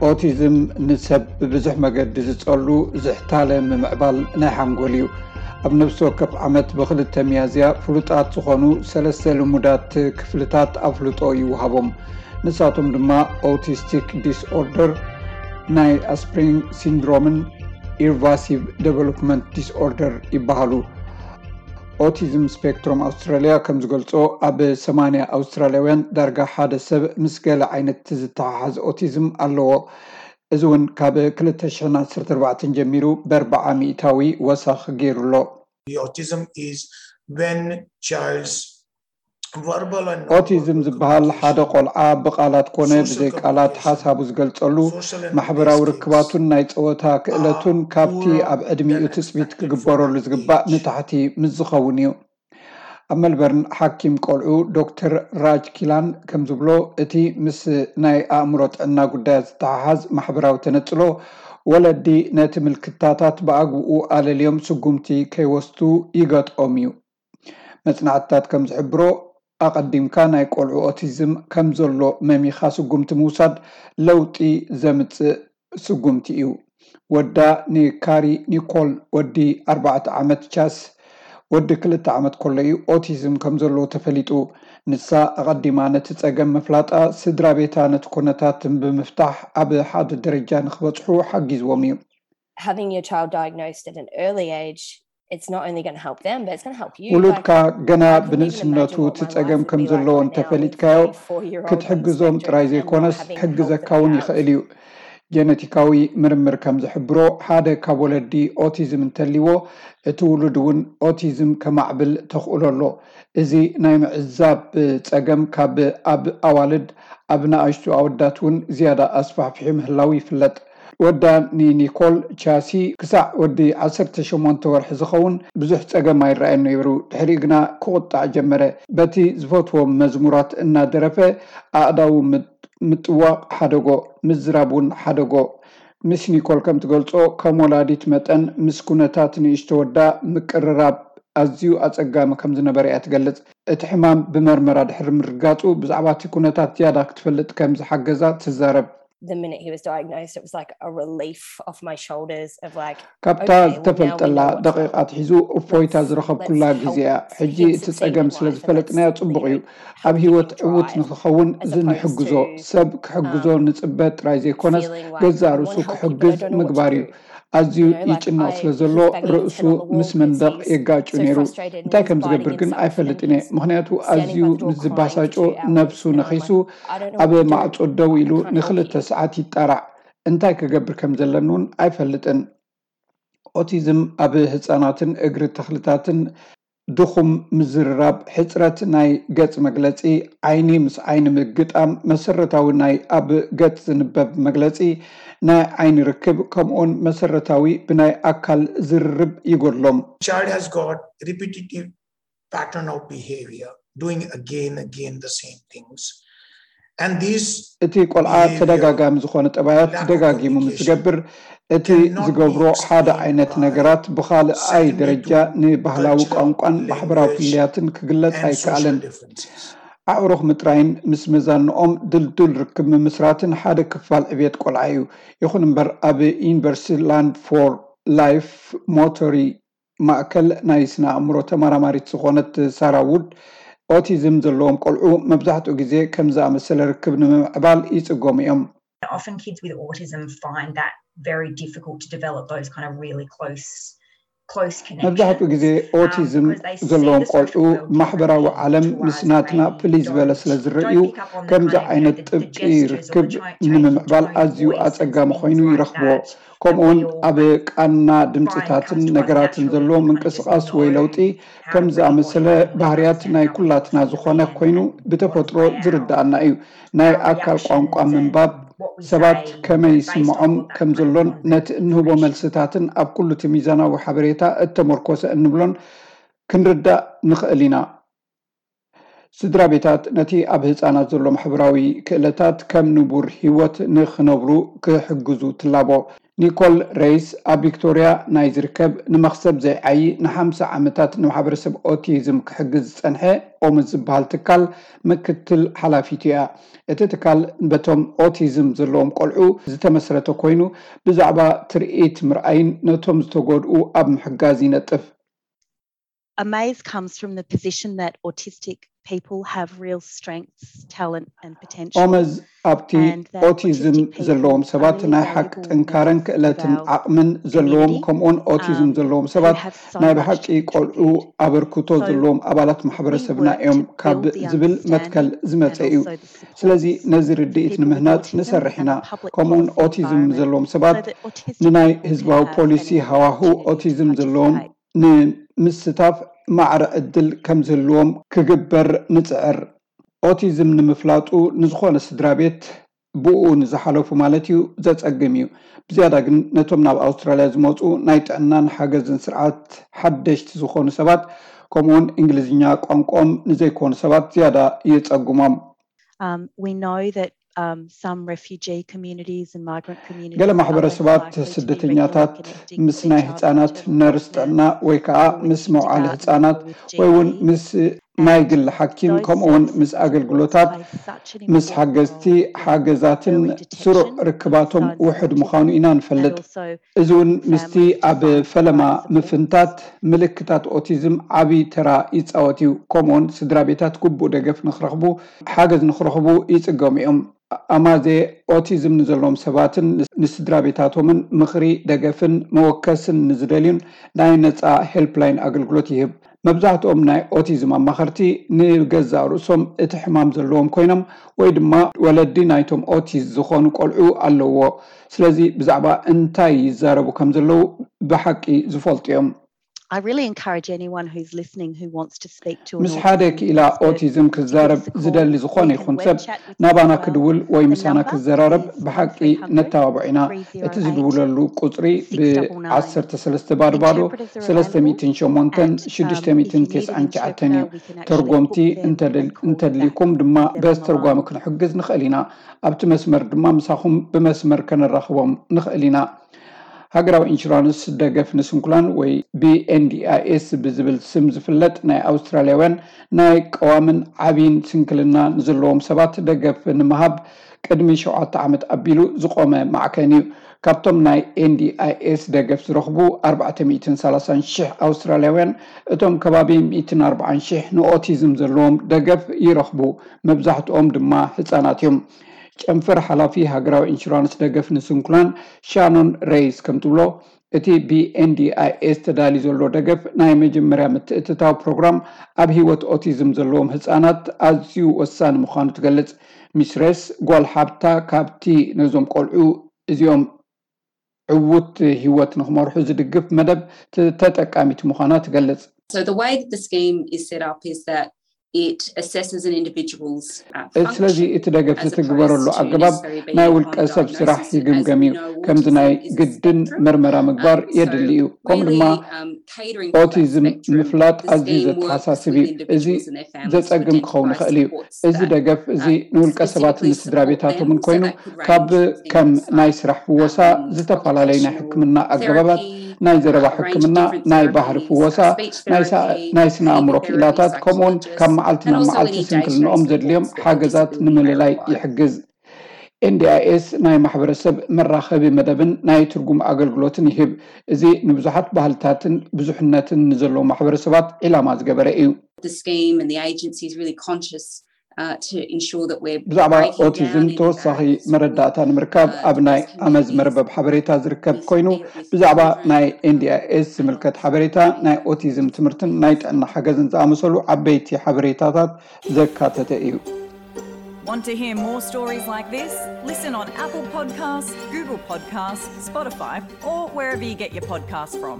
ኦቲዝም ንሰብ ብብዙሕ መገዲ ዝጸሉ ዝሕታለ ምምዕባል ናይ ሓንጎል እዩ። ኣብ ነፍሲ ወከፍ ዓመት ብክልተ ሚያዝያ ፍሉጣት ዝኾኑ ሰለስተ ልሙዳት ክፍልታት ኣፍልጦ ይወሃቦም። ንሳቶም ድማ ኦቲስቲክ ዲስኦርደር፣ ናይ ኣስፕሪንግ ሲንድሮምን ኢርቫሲቭ ዴቨሎፕመንት ዲስኦርደር ይበሃሉ። ኦቲዝም ስፔክትሮም ኣውስትራልያ ከም ዝገልጾ፣ ኣብ ሰማንያ ኣውስትራልያውያን ዳርጋ ሓደ ሰብ ምስ ገለ ዓይነት ዝተሓሓዝ ኦቲዝም ኣለዎ። እዚ እውን ካብ ክልተ ሽሕን ዓሰርተ ኣርባዕተን ጀሚሩ ብኣርብዓ ሚእታዊ ወሰኽ ገይሩ ኣሎ። The autism is when child's verbal and ኦቲዝም ዝበሃል ሓደ ቆልዓ ብቃላት ኮነ ብዘይ ቃላት ሓሳቡ ዝገልጸሉ፣ ማሕበራዊ ርክባቱን ናይ ጸወታ ክእለቱን ካብቲ ኣብ ዕድሚኡ ትጽቢት ክግበረሉ ዝግባእ ንታሕቲ ምስ ዝኸውን እዩ። ኣብ መልበርን ሓኪም ቆልዑ ዶክተር ራጅ ኪላን ከም ዝብሎ፣ እቲ ምስ ናይ ኣእምሮ ጥዕና ጉዳያት ዝተሓሓዝ ማሕበራዊ ተነጽሎ፣ ወለዲ ነቲ ምልክታታት ብኣግኡ ኣለልዮም ስጉምቲ ከይወስዱ ይገጥኦም እዩ። መጽናዕትታት ከም ዝሕብሮ፣ ኣቐዲምካ ናይ ቆልዑ ኦቲዝም ከም ዘሎ መሚኻ ስጉምቲ ምውሳድ ለውጢ ዘምጽእ ስጉምቲ እዩ። ወዳ ንካሪ ኒኮል፣ ወዲ ኣርባዕተ ዓመት ቻስ፣ ወዲ ክልተ ዓመት ከሎ እዩ ኦቲዝም ከም ዘለዎ ተፈሊጡ። ንሳ ኣቐዲማ ነቲ ጸገም ምፍላጣ፣ ስድራ ቤታ ነቲ ኩነታት ብምፍታሕ ኣብ ሓደ ደረጃ ንክበጽሑ ሓጊዝዎም እዩ። Having your child diagnosed at an early age, it's not only going to help them, but it's going to help you. ውሉድካ ገና ብንእስነቱ እቲ ጸገም ከም ዘለዎ እንተፈሊጥካዮ፣ ክትሕግዞም ጥራይ ዘይኮነስ ክሕግዘካ እውን ይኽእል እዩ። ጀነቲካዊ ምርምር ከም ዝሕብሮ፣ ሓደ ካብ ወለዲ ኦቲዝም እንተልዎ፣ እቲ ውሉድ እውን ኦቲዝም ከማዕብል ተኽእሎ ኣሎ። እዚ ናይ ምዕዛብ ጸገም ካብ ኣብ ኣዋልድ፣ ኣብ ንኣሽቱ ኣወዳት እውን ዝያዳ ኣስፋሕፊሑ ምህላው ይፍለጥ። ወዳ ንኒኮል ቻሲ ክሳዕ ወዲ ዓሰርተ ሸሞንተ ወርሒ ዝኸውን ብዙሕ ጸገም ኣይረኣየን ነይሩ። ድሕሪኡ ግና ክቑጣዕ ጀመረ። በቲ ዝፈትዎም መዝሙራት እናደረፈ ኣእዳዉ ምጥ-፣ ምጥዋቕ ሓደጎ፣ ምዝራብ እውን ሓደጎ። ምስ ኒኮል ከም ትገልጾ፣ ከም ወላዲት መጠን ምስ ኩነታት ንእሽቶ ወዳ ምቅርራብ ኣዝዩ ኣጸጋሚ ከም ዝነበረ እያ ትገልጽ። እቲ ሕማም ብመርመራ ድሕሪ ምርጋጹ፣ ብዛዕባ እቲ ኩነታት ዝያዳ ክትፈልጥ ከም ዝሓገዛ ትዛረብ። The minute he was diagnosed, it was like a relief off my shoulders of like, ካብታ ዝተፈልጠላ ደቂቕ ኣትሒዙ እፎይታ ዝረኸብኩላ ግዜ እያ። ሕጂ እቲ ጸገም ስለ ዝፈለጥናዮ ጽቡቕ እዩ። ኣብ ህይወት ዕዉት ንክኸውን ንሕግዞ። ሰብ ክሕግዞ ንጽበ ጥራይ ዘይኮነስ፣ ገዛእ ርእሱ ክሕግዝ ምግባር እዩ። ኣዝዩ ይጭነቕ ስለ ዘሎ፣ ርእሱ ምስ መንደቕ የጋጩ ነይሩ። እንታይ ከም ዝገብር ግን ኣይፈልጥን እየ፣ ምኽንያቱ ኣዝዩ ምስ ዝባሳጮ፣ ነብሱ ነኺሱ ኣብ ማዕጾ ደው ኢሉ ንክልተ ሰዓት ይጣራዕ። እንታይ ክገብር ከም ዘለኒ እውን ኣይፈልጥን። ኦቲዝም ኣብ ህጻናትን እግሪ ተኽልታትን ድኹም ምዝርራብ፣ ሕጽረት ናይ ገጽ መግለጺ፣ ዓይኒ ምስ ዓይኒ ምግጣም፣ መሰረታዊ ናይ ኣብ ገጽ ዝንበብ መግለጺ፣ ናይ ዓይኒ ርክብ፣ ከምኡውን መሰረታዊ ብናይ ኣካል ዝርርብ ይጎድሎም። Child has got repetitive pattern of behavior, doing again again the same things. And these እቲ ቆልዓ ተደጋጋሚ ዝኾነ ጠባያት ደጋጊሙ ምስ ዝገብር፣ እቲ ዝገብሮ ሓደ ዓይነት ነገራት ብኻልኣይ ደረጃ ንባህላዊ ቋንቋን ማሕበራዊ ፍልልያትን ክግለጽ ኣይከኣልን። ኣዕሩኽ ምጥራይን ምስ መዛንኦም ድልዱል ርክብ ምምስራትን ሓደ ክፋል ዕብየት ቆልዓ እዩ። ይኹን እምበር፣ ኣብ ዩኒቨርሲቲ ላንድ ፎር ላይፍ ሞቶሪ ማእከል ናይ ስነ ኣእምሮ ተመራማሪት ዝኾነት ሳራ ውድ፣ ኦቲዝም ዘለዎም ቆልዑ መብዛሕትኡ ግዜ ከም ዝኣመሰለ ርክብ ንምምዕባል ይጽገሙ እዮም። Often kids with autism find that very difficult to develop those kind of really close, close connections. መብዛሕትኡ ግዜ ኦቲዝም ዘለዎም ቆልዑ ማሕበራዊ ዓለም ምስ ናትና ፍልይ ዝበለ ስለ ዝርእዩ፣ ከምዚ ዓይነት ጥብቂ ርክብ ንምምዕባል ኣዝዩ ኣጸጋሚ ኮይኑ ይረኽብዎ። ከምኡውን ኣብ ቃና ድምፅታትን ነገራትን ዘሎ ምንቅስቓስ ወይ ለውጢ ከም ዝኣመሰለ ባህርያት ናይ ኩላትና ዝኾነ ኮይኑ ብተፈጥሮ ዝርዳኣና እዩ። ናይ ኣካል ቋንቋ ምንባብ ሰባት ከመይ ይስምዖም ከም ዘሎን ነቲ እንህቦ መልስታትን ኣብ ኩሉ እቲ ሚዛናዊ ሓበሬታ እተመርኮሰ እንብሎን ክንርዳእ ንኽእል ኢና። ስድራ ቤታት ነቲ ኣብ ህጻናት ዘሎ ማሕበራዊ ክእለታት ከም ንቡር ህይወት ንኽነብሩ ክሕግዙ ትላቦ። ኒኮል ሬይስ ኣብ ቪክቶርያ ናይ ዝርከብ ንመኽሰብ ዘይዓዪ ንሓምሳ ዓመታት ንማሕበረሰብ ኦቲዝም ክሕግዝ ዝጸንሐ ኦምዝ ዝበሃል ትካል ምክትል ሓላፊት እያ። እቲ ትካል በቶም ኦቲዝም ዘለዎም ቆልዑ ዝተመስረተ ኮይኑ ብዛዕባ ትርኢት ምርኣይን ነቶም ዝተጎድኡ ኣብ ምሕጋዝ ይነጥፍ። Amaze comes from the position that autistic people have real strengths, talent and potential. ኦመዝ ኣብቲ ኦቲዝም ዘለዎም ሰባት ናይ ሓቂ ጥንካረን ክእለትን ዓቕምን ዘለዎም ከምኡውን ኦቲዝም ዘለዎም ሰባት ናይ ብሓቂ ቆልዑ ኣበርክቶ ዘለዎም ኣባላት ማሕበረሰብና እዮም ካብ ዝብል መትከል ዝመፀ እዩ። ስለዚ ነዚ ርድኢት ንምህናፅ ንሰርሕ ኢና። ከምኡውን ኦቲዝም ዘለዎም ሰባት ንናይ ህዝባዊ ፖሊሲ ሃዋሁ ኦቲዝም ዘለዎም ንምስታፍ ማዕረ ዕድል ከም ዝህልዎም ክግበር ንጽዕር። ኦቲዝም ንምፍላጡ ንዝኾነ ስድራ ቤት ብኡ ንዝሓለፉ ማለት እዩ ዘጸግም እዩ። ብዝያዳ ግን ነቶም ናብ ኣውስትራልያ ዝመጹ ናይ ጥዕናን ሓገዝን ስርዓት ሓደሽቲ ዝኾኑ ሰባት ከምኡውን እንግሊዝኛ ቋንቋኦም ንዘይኮኑ ሰባት ዝያዳ የጸግሞም። Um, we know that um, some refugee communities and migrant communities ገለ ማሕበረሰባት ስደተኛታት ምስ ናይ ህፃናት ነርስ ጥዕና ወይ ከዓ ምስ መውዓሊ ህፃናት ወይ እውን ምስ ናይ ግሊ ሓኪም ከምኡውን ምስ ኣገልግሎታት ምስ ሓገዝቲ ሓገዛትን ስሩዕ ርክባቶም ውሕድ ምዃኑ ኢና ንፈልጥ። እዚ እውን ምስቲ ኣብ ፈለማ ምፍንታት ምልክታት ኦቲዝም ዓብዪ ተራ ይፃወት እዩ። ከምኡውን ስድራ ቤታት ግቡእ ደገፍ ንክረኽቡ ሓገዝ ንክረኽቡ ይፅገሙ እዮም። ኣማዜ ኦቲዝም ንዘለዎም ሰባትን ንስድራ ቤታቶምን ምኽሪ፣ ደገፍን መወከስን ንዝደልዩን ናይ ነፃ ሄልፕላይን ኣገልግሎት ይህብ። መብዛሕትኦም ናይ ኦቲዝም ኣማኸርቲ ንገዛእ ርእሶም እቲ ሕማም ዘለዎም ኮይኖም ወይ ድማ ወለዲ ናይቶም ኦቲስት ዝኾኑ ቆልዑ ኣለውዎ። ስለዚ ብዛዕባ እንታይ ይዛረቡ ከም ዘለዉ ብሓቂ ዝፈልጡ እዮም። I really encourage anyone who's listening who wants to speak to ምስ ሓደ ክኢላ ኦቲዝም ክዛረብ ዝደሊ ዝኾነ ይኹን ሰብ ናባና ክድውል ወይ ምሳና ክዘራረብ ብሓቂ ነተባብዖ ኢና። እቲ ዝድውለሉ ቁፅሪ ብ ዓሰርተ ሰለስተ ባዶ ባዶ ሰለስተ ሚእትን ሸሞንተን ሽዱሽተ ሚእትን ተስዓን ትሽዓተን እዩ። ተርጎምቲ እንተድልይኩም ድማ በዚ ተርጓሚ ክንሕግዝ ንኽእል ኢና። ኣብቲ መስመር ድማ ምሳኹም ብመስመር ከነራኽቦም ንኽእል ኢና። ሃገራዊ ኢንሹራንስ ደገፍ ንስንኩላን ወይ ብ NDIS ብዝብል ስም ዝፍለጥ ናይ ኣውስትራልያውያን ናይ ቀዋምን ዓብይን ስንክልና ንዘለዎም ሰባት ደገፍ ንምሃብ ቅድሚ ሸውዓተ ዓመት ኣቢሉ ዝቆመ ማዕከን እዩ። ካብቶም ናይ NDIS ደገፍ ዝረኽቡ ኣርባዕተ ሚእትን ሰላሳን ሽሕ ኣውስትራልያውያን እቶም ከባቢ ሚእትን ኣርባዓን ሽሕ ንኦቲዝም ዘለዎም ደገፍ ይረኽቡ። መብዛሕትኦም ድማ ህፃናት እዮም። ጨንፈር ሓላፊ ሃገራዊ ኢንሹራንስ ደገፍ ንስንኩላን ሻኖን ሬይስ ከም ትብሎ እቲ ብ NDIS ተዳልዩ ዘሎ ደገፍ ናይ መጀመርያ ምትእትታው ፕሮግራም ኣብ ህይወት ኦቲዝም ዘለዎም ህፃናት ኣዝዩ ወሳኒ ምዃኑ ትገልጽ። ሚስ ሬይስ ጓል ሓብታ ካብቲ ነዞም ቆልዑ እዚኦም ዕዉት ህይወት ንክመርሑ ዝድግፍ መደብ ተጠቃሚት ምዃና ትገልጽ። So the way that the scheme is set up is that it assesses an individual's uh, ስለዚ እቲ ደገፍ ዝትግበረሉ ኣገባብ ናይ ውልቀ ሰብ ስራሕ ይግምገም እዩ። ከምዚ ናይ ግድን መርመራ ምግባር የድሊ እዩ። ከምኡ ድማ ኦቲዝም ምፍላጥ ኣዝዩ ዘተሓሳስብ እዩ። እዚ ዘጸግም ክኸውን ይኽእል እዩ። እዚ ደገፍ እዚ ንውልቀ ሰባትን ንስድራ ቤታቶምን ኮይኑ ካብ ከም ናይ ስራሕ ፍወሳ፣ ዝተፈላለዩ ናይ ሕክምና ኣገባባት፣ ናይ ዘረባ ሕክምና፣ ናይ ባህሪ ፍወሳ፣ ናይ ስነ ኣእምሮ ክኢላታት ከምኡውን ካብ መዓልቲ ናብ መዓልቲ ስንክልንኦም ዘድልዮም ሓገዛት ንምልላይ ይሕግዝ። NDIS ናይ ማሕበረሰብ መራኸቢ መደብን ናይ ትርጉም ኣገልግሎትን ይህብ። እዚ ንብዙሓት ባህልታትን ብዙሕነትን ንዘለዎም ማሕበረሰባት ዒላማ ዝገበረ እዩ። ብዛዕባ ኦቲዝም ተወሳኺ መረዳእታ ንምርካብ ኣብ ናይ ኣመዝ መርበብ ሓበሬታ ዝርከብ ኮይኑ ብዛዕባ ናይ NDIS ዝምልከት ሓበሬታ፣ ናይ ኦቲዝም ትምህርትን ናይ ጥዕና ሓገዝን ዝኣመሰሉ ዓበይቲ ሓበሬታታት ዘካተተ እዩ። Want to hear more stories like this? Listen on Apple Podcasts, Google Podcasts, Spotify, or wherever you get your podcasts from.